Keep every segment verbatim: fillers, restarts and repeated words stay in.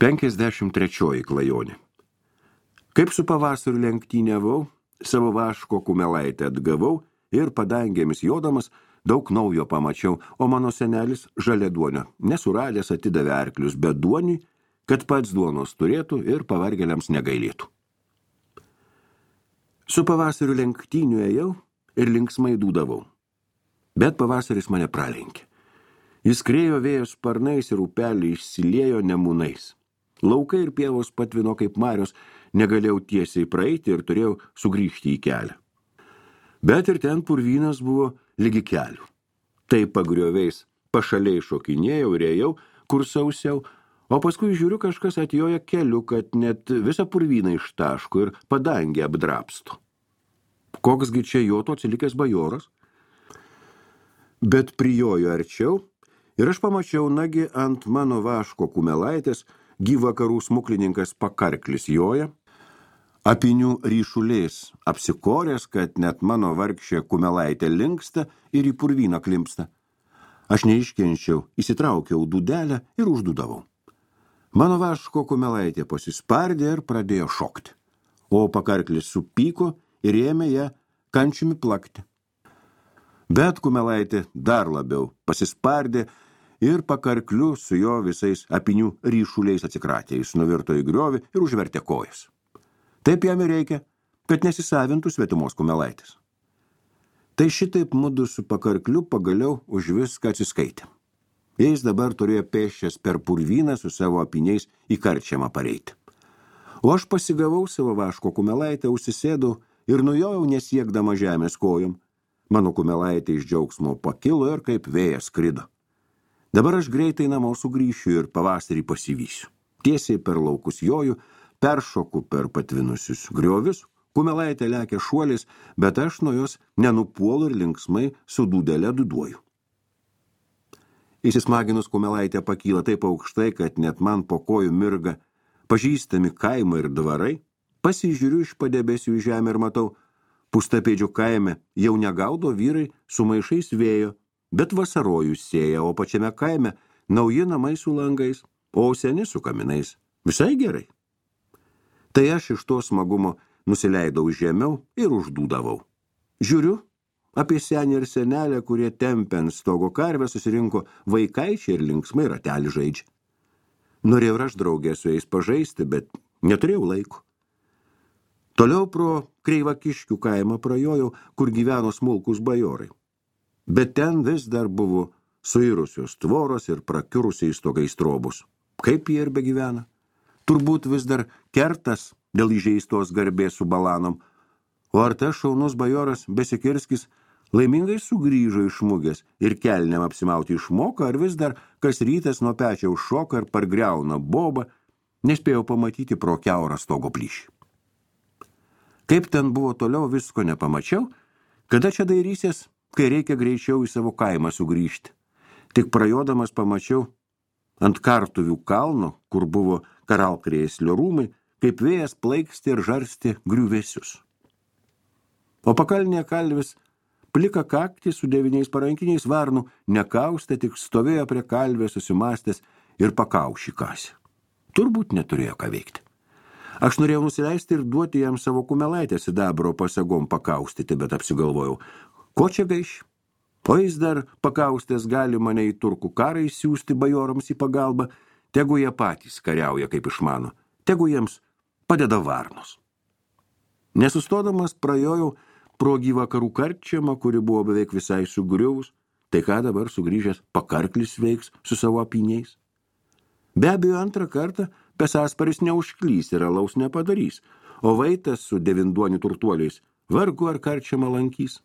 penkiasdešimt trečioji klajonė. Kaip su pavasariu lenktyniavau, savo vaško kumelaitę atgavau ir padangėmis jodamas daug naujo pamačiau, o mano senelis žaliaduonio nesuradęs atidavė arklius, bet duoniui, kad pats duonos turėtų ir pavargėliams negailėtų. Su pavasariu lenktyniu ėjau ir linksmai dūdavau, bet pavasaris mane pralenkė. Jis krėjo vėjo sparnais ir upelį išsiliejo nemūnais. Laukai ir pievos patvino kaip marios, negalėjau tiesiai praeiti ir turėjau sugrįžti į kelią. Bet ir ten purvynas buvo lygi kelių. Tai pagrioviais pašaliai šokinėjau ir ėjau, kur sausiau, o paskui žiūriu kažkas atjoja keliu, kad net visą purvyną ištaško ir padangę apdrapsto. Koksgi čia joto atsilikęs bajoras? Bet prijojo arčiau ir aš pamačiau nagi ant mano vaško kumelaitės gyvakarų smuklininkas Pakarklis joja, apinių ryšulės apsikoręs, kad net mano vargšė kumelaitė linksta ir į purvyną klimpsta. Aš neiškenčiau, įsitraukiau dūdelę ir uždūdavau. Mano vaško kumelaitė pasispardė ir pradėjo šokti, o Pakarklis supyko ir ėmė ją kančiumi plakti. Bet kumelaitė dar labiau pasispardė ir Pakarkliu su jo visais apinių ryšuliais atsikratė. Jis nuvirto į griovį ir užvertė kojas. Taip jam ir reikia, kad nesisavintų svetimos kumelaitės. Tai šitaip mudu su Pakarkliu pagaliau už viską atsiskaitė. Jis dabar turėjo pėsčias per purvyną su savo apiniais į karčiamą pareiti. O aš pasigavau savo vaško kumelaitę, užsisėdau ir nujojau nesiekdama žemės kojom. Mano kumelaitė iš džiaugsmo pakilo ir kaip vėjas skrido. Dabar aš greitai namo sugrįšiu ir pavasarį pasivysiu. Tiesiai per laukus joju, peršoku per patvinusius griovius, kumelaitė lekia šuolis, bet aš nuo jos nenupuolu ir linksmai su dūdele dūduoju. Įsismaginus kumelaitė pakyla taip aukštai, kad net man po kojų mirga pažįstami kaimai ir dvarai. Pasižiūriu iš padebesių į žemę ir matau, Pustapėdžių kaime jau negaudo vyrai su maišais vėjo, bet vasarojus sėja, o pačiame kaime nauji namai su langais, o seni su kaminais. Visai gerai. Tai aš iš to smagumo nusileidau žemiau ir uždūdavau. Žiūriu, apie senį ir senelę, kurie tempia ant stogo karvę, susirinko vaikaičiai ir linksmai ratelį žaidžia. Norėjau ir aš draugę su jais pažaisti, bet neturėjau laiko. Toliau pro Kreivakiškių kaimą prajojau, kur gyveno smulkus bajorai. Bet ten vis dar buvo suirusios tvoros ir prakiurusiais stogais trobus. Kaip jie ir begyvena? Turbūt vis dar kertas dėl įžeistos garbės su balanom, o ar tas šaunus bajoras Besikirskis laimingai sugrįžo iš mugės ir kelniam apsimauti išmoka, ar vis dar kas rytas nuo pečiaus šoka ir pargriauna bobą, nespėjau pamatyti pro kiaurą stogo plyšį. Kaip ten buvo toliau, visko nepamačiau, kada čia dairysies, kai reikia greičiau į savo kaimą sugrįžti. Tik prajodamas pamačiau ant Kartuvių kalno, kur buvo Karalkrėslio rūmai, kaip vėjas plaiksti ir žarsti griuvėsius. O pakalnėje kalvis plika kaktį su devyniais parankiniais varnų nekaustė, tik stovėjo prie kalvės susimastęs ir pakaušį kasė. Turbūt neturėjo ką veikti. Aš norėjau nusileisti ir duoti jam savo kumelaitę sidabro pasagom pakaustyti, bet apsigalvojau, ko čia gaiš? O jis dar pakaustęs gali mane į turkų karą įsiųsti bajorams į pagalbą, tegu jie patys kariauja kaip išmano, tegu jiems padeda varnos. Nesustodamas prajojau pro gyvakarų karčiamą, kuri buvo beveik visai sugriuvus, tai ką dabar sugrįžęs Pakarklis veiks su savo apiniais? Be abejo, antrą kartą pesasparis neužklys ir alaus nepadarys, o vaitas su devinduonių turtuoliais vargu ar karčiamą lankys.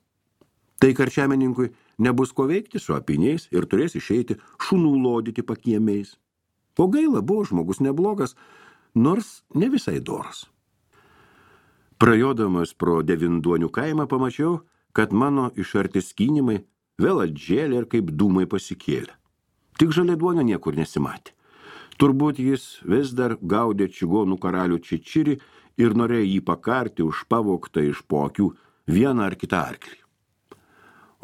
Tai karčiameninkui nebus ko veikti su apiniais ir turės išeiti šunų lodyti pakiemiais. O gaila, buvo žmogus neblogas, nors ne visai doras. Prajodamas pro devinduonių kaimą pamačiau, kad mano išarti skynimai vėl atžėlė ir kaip dūmai pasikėlė. Tik žaliaduonio niekur nesimatė. Turbūt jis vis dar gaudė čigonų karalių Čečirį ir norėjo jį pakarti už pavoktą iš po akių vieną ar kitą arklį.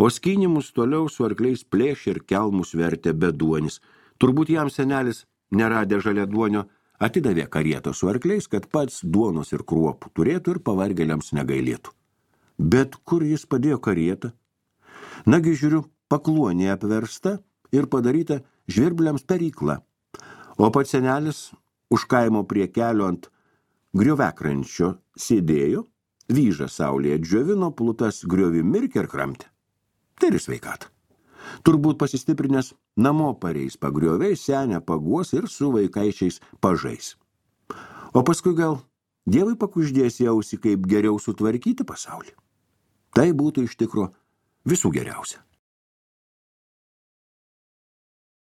O skynimus toliau su arkliais plėšė ir kelmus vertė beduonis. Turbūt jam senelis, neradė žaliaduonio, atidavė karietą su arkliais, kad pats duonos ir kruopų turėtų ir pavargėliams negailėtų. Bet kur jis padėjo karietą? Nagi žiūriu, pakluonė apversta ir padaryta žvirbliams perykla, o pats senelis už kaimo prie kelio ant griovekrančio sėdėjo, vyžą saulėje džiovino, plutas griovi mirkė ir kramtė. Tai ir sveikata. Turbūt pasistiprinęs namo pareis pagrioviais, senę paguos ir su vaikaičiais pažais. O paskui gal Dievui pakuždės į ausį, kaip geriau sutvarkyti pasaulį. Tai būtų iš tikro visų geriausia.